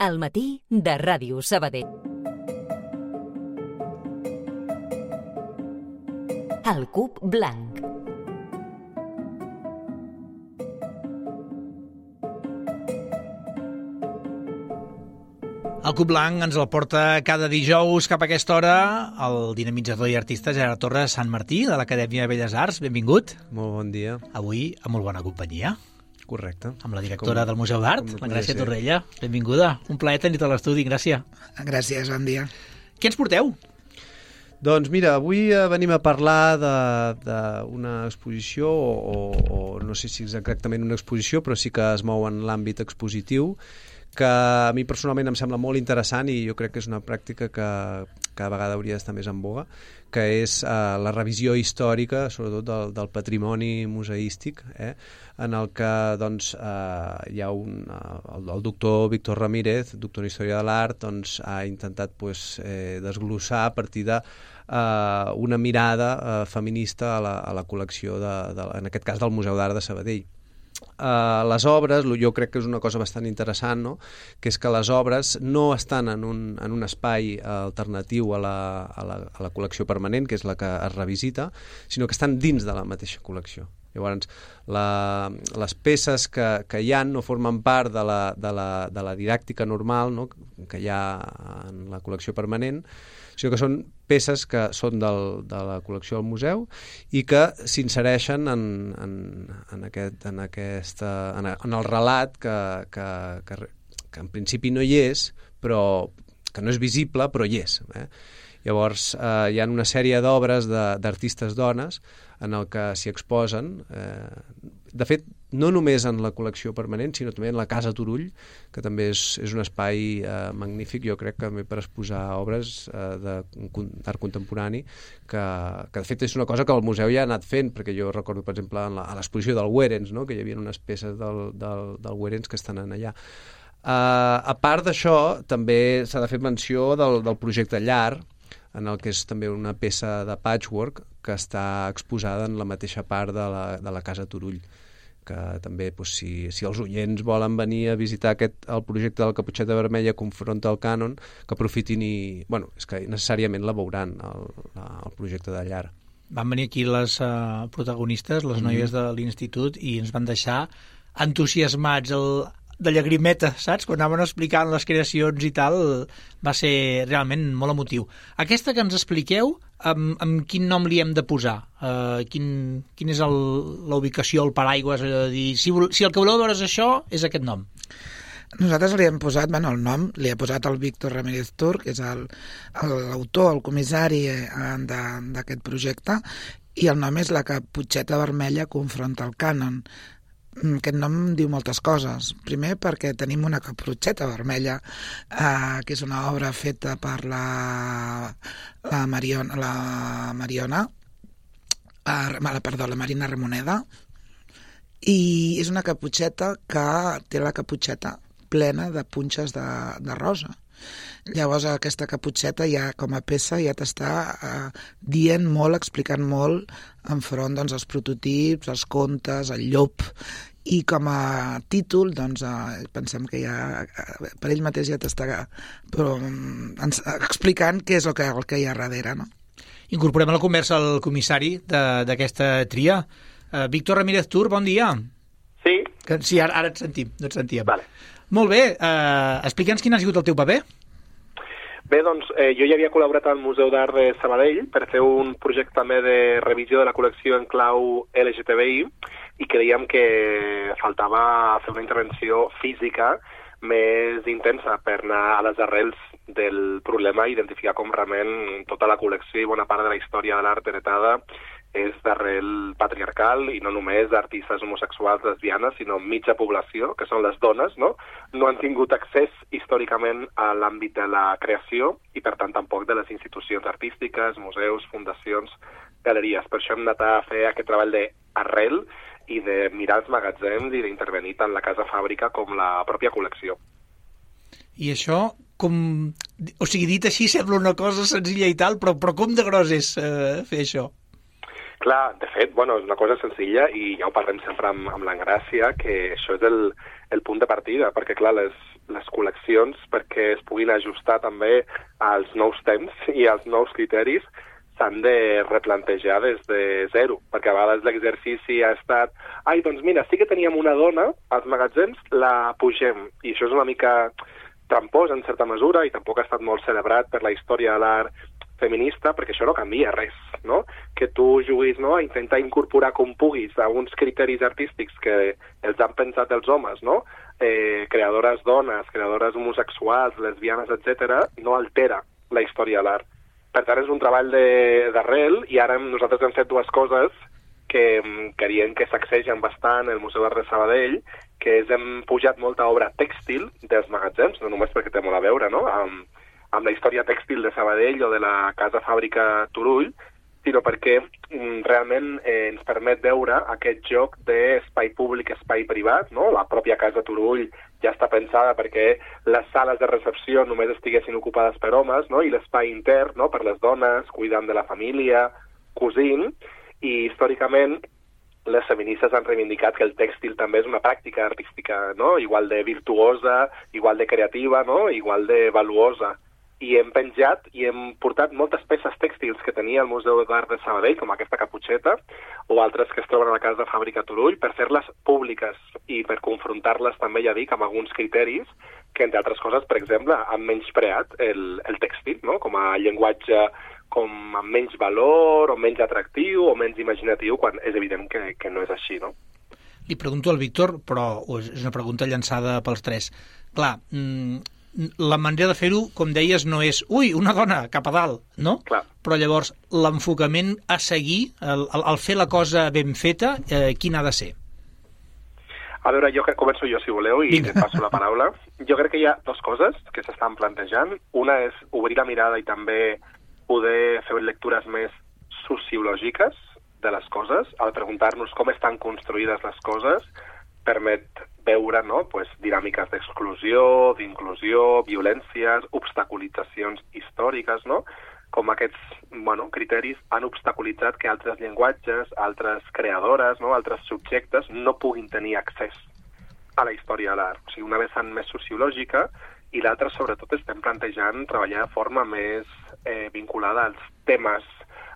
Al matí de Ràdio Sabadell. El Cub Blanc. El Cub Blanc ens el porta cada dijous cap a aquesta hora el dinamitzador i artista Gerard Torres Sant Martí, de l'Acadèmia de Belles Arts. Benvingut. Molt bon dia. Avui amb molt bona companyia. Correcte. Amb la directora del Museu d'Art, la Gràcia Torrella. Benvinguda. Un plaer tenir-te a l'estudi, Gràcia. Gràcies, bon dia. Què ens porteu? Doncs mira, avui venim a parlar d'una exposició, o no sé si és exactament una exposició, però sí que es mou en l'àmbit expositiu, que a mi personalment em sembla molt interessant i jo crec que és una pràctica que cada vegada hauria d'estar més en boga, que és la revisió històrica, sobretot del patrimoni museístic, en el que doncs, hi ha el doctor Víctor Ramírez, doctor en Història de l'Art, doncs, ha intentat desglossar a partir de una mirada feminista a la col·lecció, en aquest cas del Museu d'Art de Sabadell. Les obres, jo crec que és una cosa bastant interessant, no? Que és que les obres no estan en un espai alternatiu a la col·lecció permanent, que és la que es revisita, sinó que estan dins de la mateixa col·lecció. Llavors, les peces que hi ha no formen part de la didàctica normal, no? Que hi ha en la col·lecció permanent, sinó que són peces que són de la col·lecció del museu i que s'insereixen en el relat que en principi no hi és, però que no és visible, però hi és. Llavors, hi ha una sèrie d'obres d'artistes dones en el que s'hi exposen, de fet, no només en la col·lecció permanent, sinó també en la Casa Turull, que també és un espai magnífic, jo crec que també per exposar obres d'art contemporani, que de fet és una cosa que el museu ja ha anat fent, perquè jo recordo, per exemple, a l'exposició del Wherens, no? Que hi havia unes peces del Wherens que estan allà. A part d'això, també s'ha de fer menció del projecte Llar, en el que és també una peça de patchwork que està exposada en la mateixa part de la Casa Turull, que també, si els oients volen venir a visitar el projecte del Caputxeta Vermella confronta el cànon, que aprofitin i... Bueno, és que necessàriament la veuran, el projecte de Llar. Van venir aquí les protagonistes, les noies de l'institut, i ens van deixar entusiasmats, de llagrimeta, saps? Quan anaven explicant les creacions i tal, va ser realment molt emotiu. Aquesta que ens expliqueu, amb quin nom li hem de posar? Quin és la ubicació, el paraigües? Si el que voleu veure és això, és aquest nom. Nosaltres li hem posat, el nom, li ha posat el Víctor Ramírez Tur, que és l'autor, el comissari d'aquest projecte, i el nom és La Caputxeta Vermella confronta el cànon. Aquest nom diu moltes coses. Primer, perquè tenim una caputxeta vermella, que és una obra feta per la Marina Ramoneda, i és una caputxeta que té la caputxeta plena de punxes de rosa. Llavors aquesta caputxeta ja com a peça ja t'està dient molt, explicant molt enfront dels prototips, els contes, el llop, i com a títol doncs pensem que ja per ell mateix ja t'està explicant què és el que hi ha darrere, no? Incorporem a la conversa el comissari d'aquesta tria. Víctor Ramírez Tur, bon dia. Sí. Sí, ara et sentim, no et sentíem. Vale. Molt bé, explica'ns quin ha sigut el teu paper. Bé, doncs, jo ja havia col·laborat al Museu d'Art de Sabadell per fer un projecte també de revisió de la col·lecció en clau LGTBI i creiem que faltava fer una intervenció física més intensa per anar a les arrels del problema i identificar com realment tota la col·lecció i bona part de la història de l'art heretada és d'arrel patriarcal i no només d'artistes homosexuals lesbianes, sinó mitja població, que són les dones, no han tingut accés històricament a l'àmbit de la creació i, per tant, tampoc de les institucions artístiques, museus, fundacions, galeries. Per això hem anat a fer aquest treball d'arrel i de mirar els magatzems i d'intervenir tant la casa fàbrica com la pròpia col·lecció. I això, o sigui, dit així sembla una cosa senzilla i tal, però com de gros és fer això? Clar, de fet, és una cosa senzilla i ja ho parlem sempre amb l'Engràcia, que això és el punt de partida, perquè clar, les col·leccions, perquè es puguin ajustar també als nous temps i als nous criteris, s'han de replantejar des de zero, perquè a vegades l'exercici ha estat doncs mira, sí que teníem una dona als magatzems, la pugem, i això és una mica trampós en certa mesura i tampoc ha estat molt celebrat per la història de l'art feminista, perquè això no canvia res, no? Que tu juguis, no?, a intentar incorporar com puguis a uns criteris artístics que els han pensat els homes, no?, creadores dones, creadores homosexuals, lesbianes, etc., no altera la història de l'art. Per tant, és un treball d'arrel i ara nosaltres hem fet dues coses que creiem que sacsegen bastant el Museu d'Art de Sabadell, que és hem pujat molta obra tèxtil dels magatzems, no només perquè té molt a veure, no?, amb la història tèxtil de Sabadell o de la Casa Fàbrica Turull, sinó perquè realment ens permet veure aquest joc d'espai públic, espai privat, no? La pròpia Casa Turull ja està pensada perquè les sales de recepció només estiguessin ocupades per homes, no? I l'espai intern, no?, per les dones, cuidant de la família, cosint, i històricament les feministes han reivindicat que el tèxtil també és una pràctica artística, no?, igual de virtuosa, igual de creativa, no?, igual de valuosa. I hem penjat i hem portat moltes peces tèxtils que tenia el Museu d'Art de Sabadell, com aquesta caputxeta, o altres que es troben a la Casa Fàbrica Turull, per fer-les públiques i per confrontar-les també, ja dic, amb alguns criteris que, entre altres coses, per exemple, han menyspreat el tèxtil, no?, com a llenguatge com amb menys valor, o menys atractiu, o menys imaginatiu, quan és evident que no és així, no? Li pregunto al Víctor, però és una pregunta llançada pels tres. Clar, la manera de fer-ho, com deies, no és una dona cap a dalt, no? Clar. Però llavors l'enfocament a seguir, el fer la cosa ben feta, quin ha de ser? A veure, jo que començo jo, si voleu, i et passo la paraula. Jo crec que hi ha dues coses que s'estan plantejant. Una és obrir la mirada i també poder fer lectures més sociològiques de les coses, al preguntar-nos com estan construïdes les coses, permet veure, no?, pues, dinàmiques d'exclusió, d'inclusió, violències, obstaculitzacions històriques, no?, com aquests criteris han obstaculitzat que altres llenguatges, altres creadores, no?, altres subjectes no puguin tenir accés a la història de l'art. O sigui, una vessant més sociològica i l'altra, sobretot, estem plantejant treballar de forma més vinculada als temes,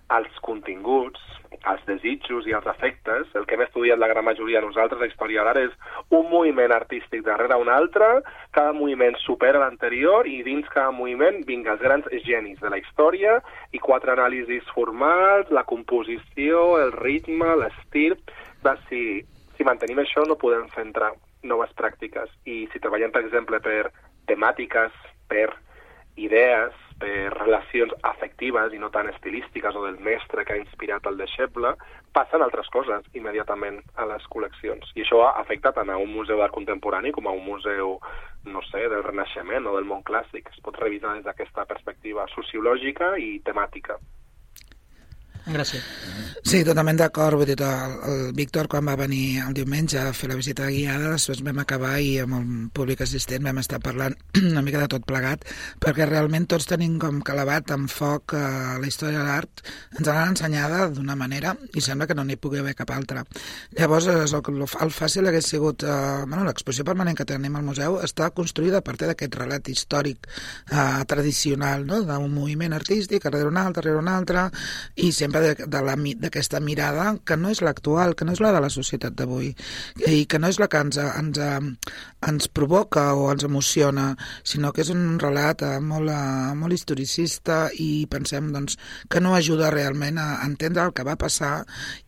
als continguts, als desitjos i als afectes. El que hem estudiat la gran majoria de nosaltres a història de l'art és un moviment artístic darrere un altre, cada moviment supera l'anterior i dins cada moviment, vinga, els grans genis de la història i 4 anàlisis formals, la composició, el ritme, l'estil. Si mantenim això no podem fer entrar noves pràctiques i si treballem, per exemple, per temàtiques, per idees, per relacions afectives i no tan estilístiques o del mestre que ha inspirat el deixeble, passen altres coses immediatament a les col·leccions. I això afecta tant a un museu d'art contemporani com a un museu, no sé, del Renaixement o del món clàssic. Es pot revisar des d'aquesta perspectiva sociològica i temàtica. Gràcies. Sí, totalment d'acord. Vull dir, el Víctor, quan va venir el diumenge a fer la visita guiada, després vam acabar i amb el públic assistent vam estar parlant una mica de tot plegat, perquè realment tots tenim com calavat en foc la història de l'art. Ens l'han ensenyada d'una manera i sembla que no n'hi pugui haver cap altra. Llavors, el fàcil hagués sigut... l'exposició permanent que tenim al museu està construïda a partir d'aquest relat històric tradicional, no?, d'un moviment artístic, darrere un altre, i sempre d'aquesta mirada que no és l'actual, que no és la de la societat d'avui i que no és la que ens provoca o ens emociona, sinó que és un relat molt historicista i pensem doncs, que no ajuda realment a entendre el que va passar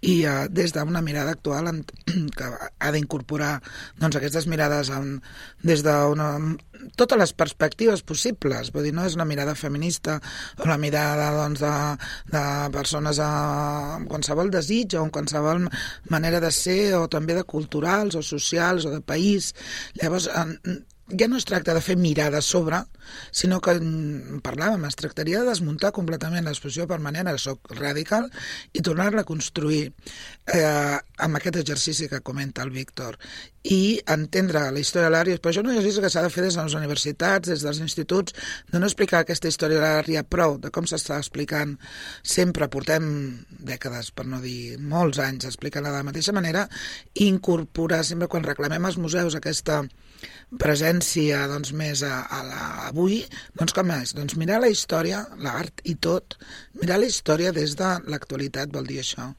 i des d'una mirada actual que ha d'incorporar doncs, aquestes mirades des de totes les perspectives possibles. Vull dir, no és una mirada feminista o la mirada doncs, de persones amb qualsevol desig o amb qualsevol manera de ser o també de culturals o socials o de país. Llavors, ja no es tracta de fer mirada a sobre, sinó que parlàvem, es tractaria de desmuntar completament l'exposició permanent, el soc radical, i tornar-la a construir amb aquest exercici que comenta el Víctor. i entendre la història de l'art, però això no és que s'ha de fer des de les universitats, des dels instituts, de no explicar aquesta història de l'art ja prou, de com s'està explicant sempre, portem dècades, per no dir molts anys, explicant-la de la mateixa manera, i incorporar sempre quan reclamem als museus aquesta presència doncs, més avui, doncs com és? Doncs mirar la història, l'art i tot, mirar la història des de l'actualitat vol dir això.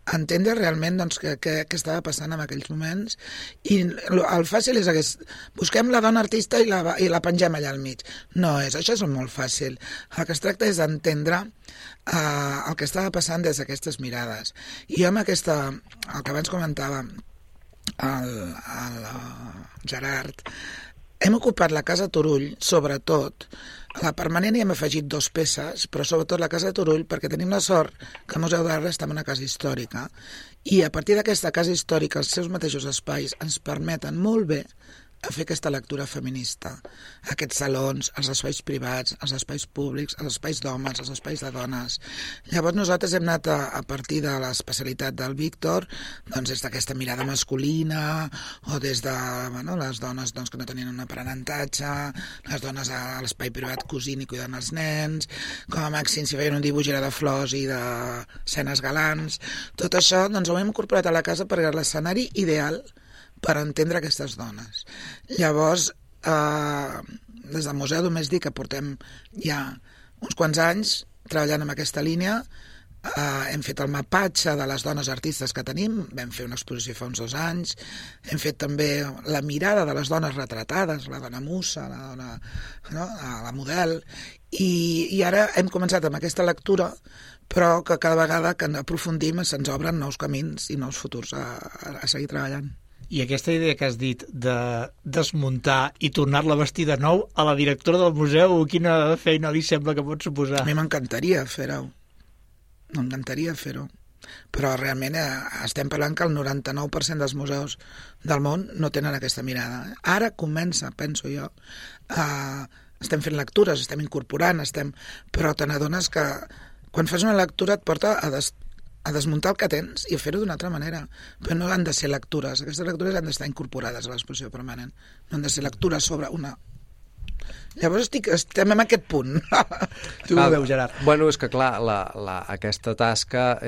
Entendre realment doncs, què estava passant en aquells moments i el fàcil és busquem la dona artista i la pengem allà al mig. No és, això és molt fàcil. El que es tracta és d'entendre el que estava passant des d'aquestes mirades. I jo amb aquesta, el que abans comentava el Gerard, hem ocupat la Casa Turull, sobretot. A la permanent hi hem afegit 2 peces, però sobretot la Casa Turull, perquè tenim la sort que el Museu d'Art està en una casa històrica. I a partir d'aquesta casa històrica, els seus mateixos espais ens permeten molt bé a fer aquesta lectura feminista. Aquests salons, els espais privats, els espais públics, els espais d'homes, els espais de dones. Llavors nosaltres hem anat a partir de l'especialitat del Víctor, doncs des d'aquesta mirada masculina, o des de les dones doncs, que no tenien un aprenentatge, les dones a l'espai privat cosint i cuidant els nens, com a màxim si feien un dibuix era de flors i d'escenes galants. Tot això doncs, ho hem incorporat a la casa perquè era l'escenari ideal per entendre aquestes dones. Llavors, des del museu només dic que portem ja uns quants anys treballant en aquesta línia. Hem fet el mapatge de les dones artistes que tenim, vam fer una exposició fa uns 2 anys, hem fet també la mirada de les dones retratades, la dona musa, la dona, la model, i ara hem començat amb aquesta lectura, però que cada vegada que aprofundim se'ns obren nous camins i nous futurs a seguir treballant. I aquesta idea que has dit de desmuntar i tornar-la a vestir de nou, a la directora del museu, quina feina li sembla que pot suposar? A mi m'encantaria fer-ho. M'encantaria fer-ho. Però realment estem parlant que el 99% dels museus del món no tenen aquesta mirada. Ara comença, penso jo, estem fent lectures, estem incorporant, però te n'adones que quan fas una lectura et porta a desmuntar el que tens i a fer-ho d'una altra manera. Però no han de ser lectures. Aquestes lectures han d'estar incorporades a l'exposició permanent. No han de ser lectures sobre una... Llavors estem en aquest punt. Tu ho veus, Gerard? Bueno, és que clar, aquesta tasca,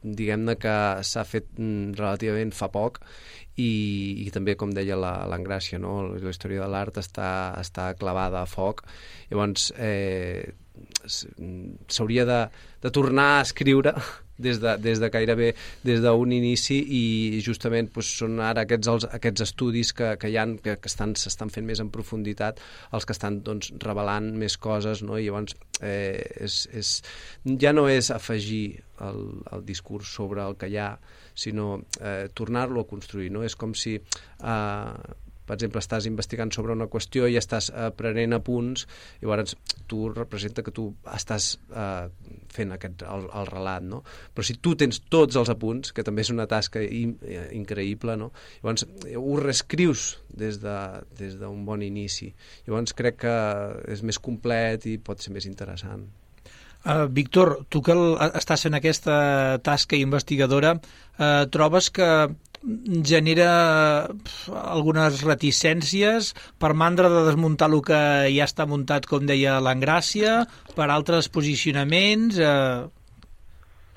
diguem-ne que s'ha fet relativament fa poc i també, com deia l'Engràcia, no? La història de l'art està clavada a foc. Llavors, s'hauria de tornar a escriure des de gairebé des d'un inici i justament són ara aquests estudis que hi ha, que s'estan fent més en profunditat, els que estan revelant més coses, no? I llavors ja no és afegir el discurs sobre el que hi ha, sinó tornar-lo a construir, no? És com si per exemple, estàs investigant sobre una qüestió i estàs prenent apunts i llavors tu representa que tu estàs fent el relat, no? Però si tu tens tots els apunts, que també és una tasca increïble, no? Llavors ho reescrius des d'un bon inici. Llavors crec que és més complet i pot ser més interessant. Víctor, tu que estàs fent aquesta tasca investigadora, trobes que genera algunes reticències per mandra de desmuntar el que ja està muntat, com deia l'Engràcia, per altres posicionaments?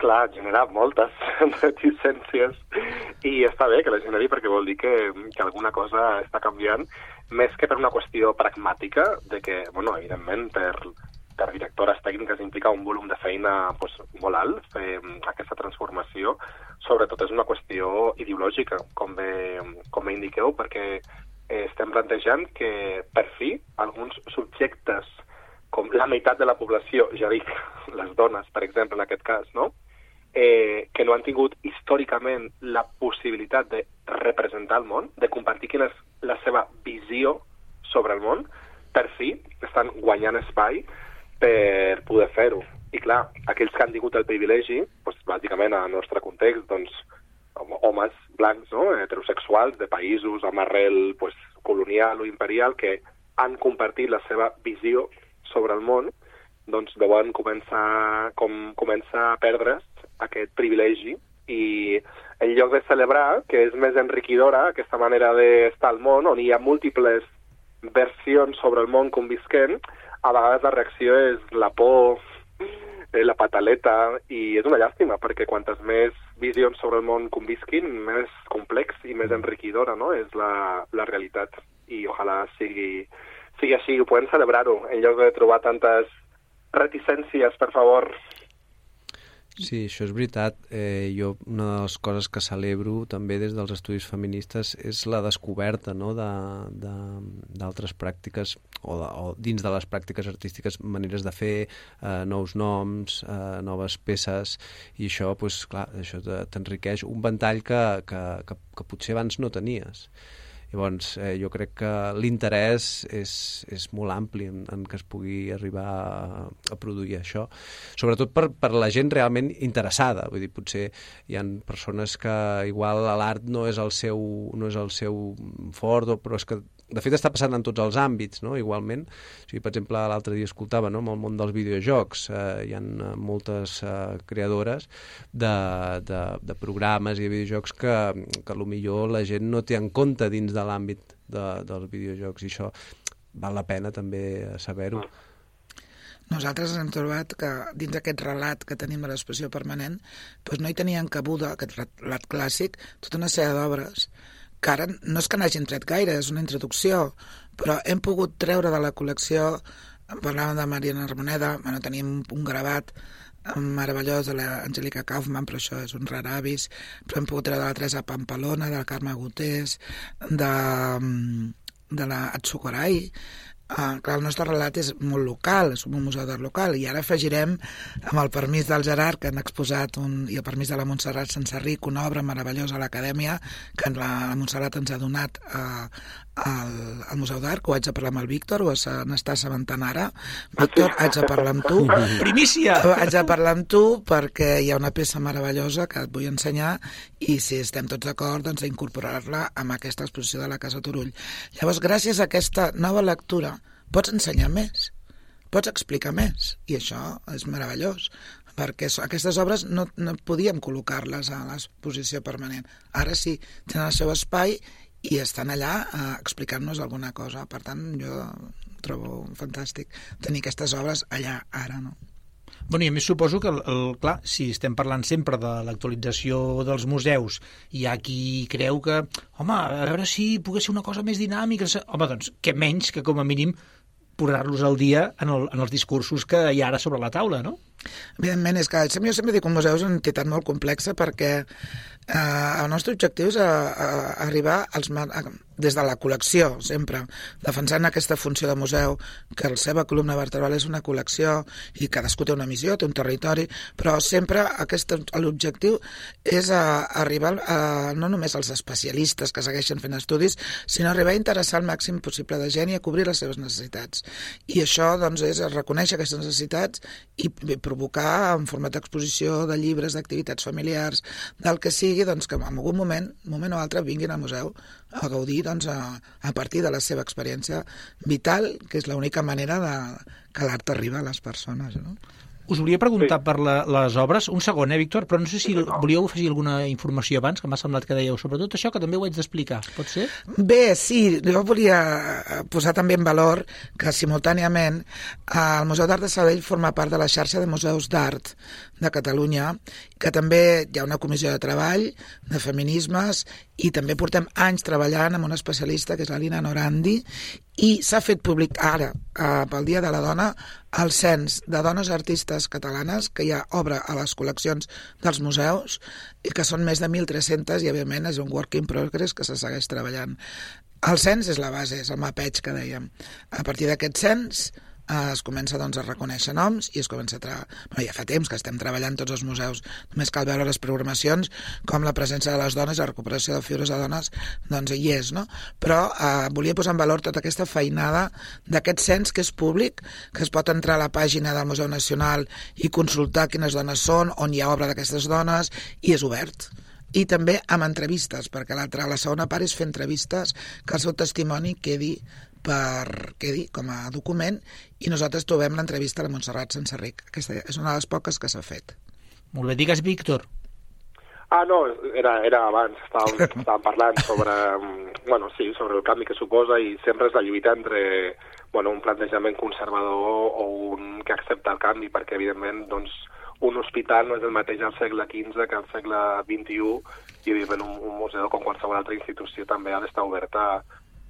Clar, genera moltes reticències i està bé que la generi perquè vol dir que alguna cosa està canviant, més que per una qüestió pragmàtica de que, bueno, evidentment, per directores tècniques implica un volum de feina molt alt, fer aquesta transformació. Sobretot és una qüestió ideològica, com bé indiqueu, perquè estem plantejant que, per fi, alguns subjectes, com la meitat de la població, ja dic, les dones, per exemple, en aquest cas, no? Que no han tingut històricament la possibilitat de representar el món, de compartir quina és la seva visió sobre el món, per fi estan guanyant espai per poder fer-ho. I clar, aquells que han tingut el privilegi, bàsicament en el nostre context, homes blancs, no? Heterosexuals de països amb arrel colonial o imperial que han compartit la seva visió sobre el món, doncs veuen començar a perdre's aquest privilegi i en lloc de celebrar, que és més enriquidora, aquesta manera d'estar al món, on hi ha múltiples versions sobre el món convisquent, a vegades la reacció és la por, la pataleta, i és una llàstima, perquè quantes més visions sobre el món convisquin, més complex i més enriquidora, no?, és la realitat. I ojalà sigui així, ho podem celebrar-ho, en lloc de trobar tantes reticències, per favor. Sí, això és veritat. Jo una de les coses que celebro també des dels estudis feministes és la descoberta, no?, d'altres pràctiques o dins de les pràctiques artístiques, maneres de fer, nous noms, noves peces, i això, doncs, clar, això t'enriqueix un ventall que potser abans no tenies. Llavors, jo crec que l'interès és molt ampli en què es pugui arribar a produir això, sobretot per la gent realment interessada. Vull dir, potser hi ha persones que igual l'art no és el seu fort, però és que de fet està passant en tots els àmbits, no?, igualment. O sigui, per exemple, l'altre dia escoltava, no?, amb el món dels videojocs, hi ha moltes creadores de programes i de videojocs que potser la gent no té en compte dins de l'àmbit dels videojocs, i això val la pena també saber-ho. Nosaltres hem trobat que dins d'aquest relat que tenim de l'expressió permanent, doncs no hi tenien cabuda, aquest relat clàssic, tota una sèrie d'obres que ara no és que n'hagin tret gaire, és una introducció, però hem pogut treure de la col·lecció, parlàvem de Mariana Ramoneda, bueno, tenim un gravat meravellós de l'Angélica Kaufman, però això és un rar avis, però hem pogut treure de la Teresa Pampalona, de la Carme Gutés, de la Atsukorai. Clar, el nostre relat és molt local, és un museu d'art local, i ara afegirem, amb el permís del Gerard, que han exposat, i el permís de la Montserrat Sensarric, una obra meravellosa a l'Acadèmia, que la Montserrat ens ha donat al Museu d'Art, que ho haig de parlar amb el Víctor, o n'està assabentant ara. Víctor, haig de parlar amb tu. Primícia! Haig de parlar amb tu perquè hi ha una peça meravellosa que et vull ensenyar, i si estem tots d'acord, doncs d'incorporar-la amb aquesta exposició de la Casa Turull. Llavors, gràcies a aquesta nova lectura, pots ensenyar més, pots explicar més, i això és meravellós, perquè aquestes obres no podíem col·locar-les a l'exposició permanent. Ara sí, tenen el seu espai i estan allà explicant-nos alguna cosa. Per tant, jo trobo fantàstic tenir aquestes obres allà, ara, no? Bueno, i a més suposo que, clar, si estem parlant sempre de l'actualització dels museus, hi ha qui creu que, home, a veure si pogués ser una cosa més dinàmica. Home, doncs, què menys que com a mínim posar-los al dia en els discursos que hi ha ara sobre la taula, no? Evidentment, és que jo sempre dic que un museu és una entitat molt complexa, perquè el nostre objectiu és arribar des de la col·lecció, sempre, defensant aquesta funció de museu, que la seva columna vertebral és una col·lecció i cadascú té una missió, té un territori, però sempre l'objectiu és arribar no només als especialistes que segueixen fent estudis, sinó arribar a interessar el màxim possible de gent i a cobrir les seves necessitats. I això, doncs, és reconèixer aquestes necessitats i provocar en format d'exposició, de llibres, d'activitats familiars, del que sigui, doncs, que en algun moment o altre vinguin al museu a gaudir, doncs, a partir de la seva experiència vital, que és l'única manera que l'art arriba a les persones, no? Us volia preguntar per les obres, un segon, Víctor, però no sé si volíeu afegir alguna informació abans, que m'ha semblat que dèieu, sobretot això, que també ho haig d'explicar, pot ser? Bé, sí, jo volia posar també en valor que simultàniament el Museu d'Art de Sabadell forma part de la xarxa de museus d'art de Catalunya, que també hi ha una comissió de treball de feminismes i també portem anys treballant amb una especialista que és la Lina Norandi, i s'ha fet públic ara, pel Dia de la Dona, el cens de dones artistes catalanes que hi ha obra a les col·leccions dels museus i que són més de 1.300 i, evidentment, és un work in progress que se segueix treballant. El cens és la base, és el mapeig que dèiem. A partir d'aquest cens es comença, doncs, a reconèixer noms i es comença a Bueno, ja fa temps que estem treballant tots els museus, només cal veure les programacions com la presència de les dones i la recuperació de figures de dones, doncs hi és, no? Però volia posar en valor tota aquesta feinada d'aquest cens que és públic, que es pot entrar a la pàgina del Museu Nacional i consultar quines dones són, on hi ha obra d'aquestes dones, i és obert. I també amb entrevistes, perquè la segona part és fer entrevistes, que el seu testimoni quedi com a document, i nosaltres trobem l'entrevista a la Montserrat Sensarric. Aquesta és una de les poques que s'ha fet. Molt bé, digues, Víctor. No, era abans, estàvem parlant sobre, sobre el canvi que suposa i sempre és la lluita entre un plantejament conservador o un que accepta el canvi, perquè evidentment doncs, un hospital no és el mateix al segle XV que al segle XXI i evidentment un museu com qualsevol altra institució també ha d'estar oberta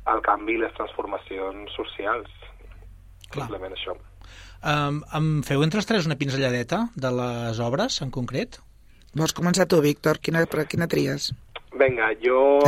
al canvi i les transformacions socials. Simplement això. Em feu entre els tres una pinzelladeta de les obres en concret? Vols començar tu, Víctor? Quina tries? Vinga, jo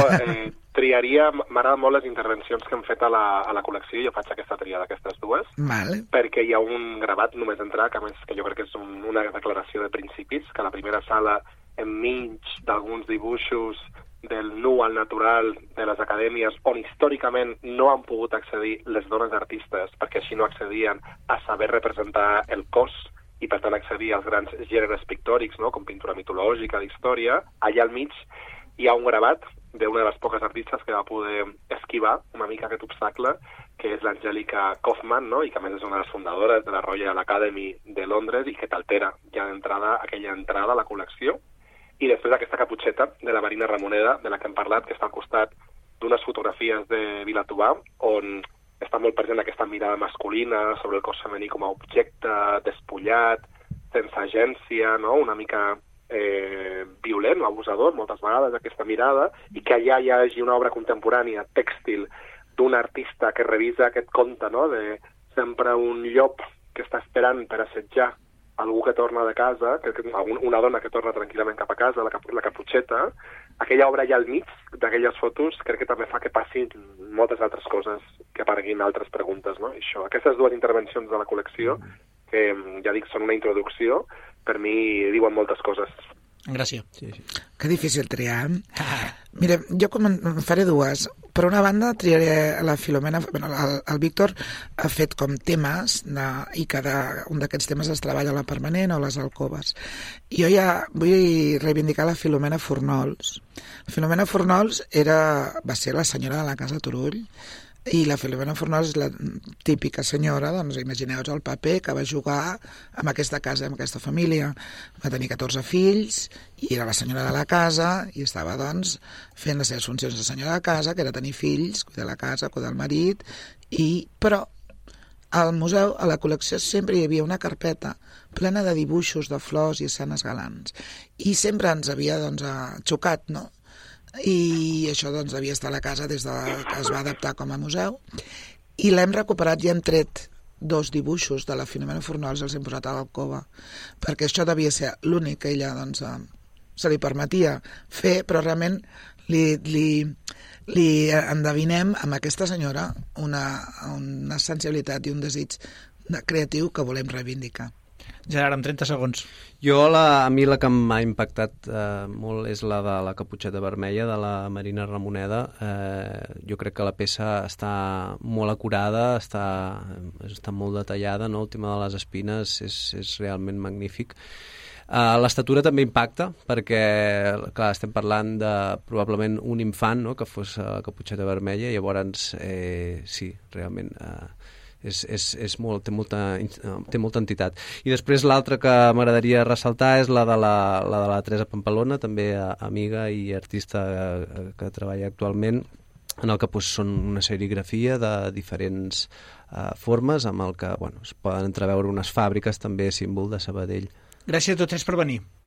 triaria... M'agraden molt les intervencions que hem fet a la col·lecció i jo faig aquesta triada d'aquestes dues, vale. Perquè hi ha un gravat només d'entrar, que a més que jo crec que és una declaració de principis, que a la primera sala, enmig d'alguns dibuixos del nu al natural de les acadèmies, on històricament no han pogut accedir les dones artistes, perquè així no accedien a saber representar el cos, i per tant accedir als grans gèneres pictòrics, no? Com pintura mitològica, d'història, allà al mig hi ha un gravat d'una de les poques artistes que va poder esquivar una mica aquest obstacle, que és l'Angelica Kaufman, no? I que a més és una de les fundadores de la Royal Academy de Londres i que t'altera ja d'entrada aquella entrada a la col·lecció. I després aquesta caputxeta de la Marina Ramoneda, de la que hem parlat, que està al costat d'unes fotografies de Vilatobà, on està molt present aquesta mirada masculina sobre el cos femení com a objecte despullat, sense agència, no? Una mica violent o abusador, moltes vegades, aquesta mirada, i que allà hi hagi una obra contemporània, tèxtil, d'un artista que revisa aquest conte, no? De sempre un llop que està esperant per assetjar algú que torna de casa, una dona que torna tranquil·lament cap a casa, la caputxeta, aquella obra allà al mig d'aquelles fotos crec que també fa que passin moltes altres coses, que apareguin altres preguntes, no? I això, aquestes dues intervencions de la col·lecció, que ja dic, són una introducció, per mi diuen moltes coses. Gràcies. Sí. Que difícil triar. Mira, jo faré dues. Per una banda, triaré la Filomena... El Víctor ha fet com temes i cada un d'aquests temes es treballa a la permanent o a les alcoves. Jo ja vull reivindicar la Filomena Fornols. La Filomena Fornols va ser la senyora de la Casa Turull, i la Filomena Fornols és la típica senyora, doncs imagineu-vos el paper que va jugar amb aquesta casa, amb aquesta família. Va tenir 14 fills i era la senyora de la casa i estava doncs fent les seves funcions de senyora de casa, que era tenir fills, cuidar la casa, cuidar el marit, però al museu, a la col·lecció, sempre hi havia una carpeta plena de dibuixos de flors i escenes galants. I sempre ens havia xocat, no? I això doncs devia estar a la casa des que es va adaptar com a museu, i l'hem recuperat i hem tret 2 dibuixos de la Filomena Fornols i els hem posat a l'alcova, perquè això devia ser l'únic que ella doncs se li permetia fer, però realment li endevinem amb aquesta senyora una sensibilitat i un desig creatiu que volem reivindicar. Gerard, en 30 segons. A mi la que m'ha impactat molt és la de la caputxeta vermella de la Marina Ramoneda. Jo crec que la peça està molt acurada, està molt detallada, no? El tema de les espines és realment magnífic. L'estatura també impacta perquè, clar, estem parlant de probablement un infant, no?, que fos la caputxeta vermella, i llavors sí, realment té molta entitat. I després l'altra que m'agradaria ressaltar és la de la Teresa Pampalona, també amiga i artista que treballa actualment, en el que són una serigrafia de diferents formes, amb el que es poden entreveure unes fàbriques, també símbol de Sabadell. Gràcies a tots tres per venir.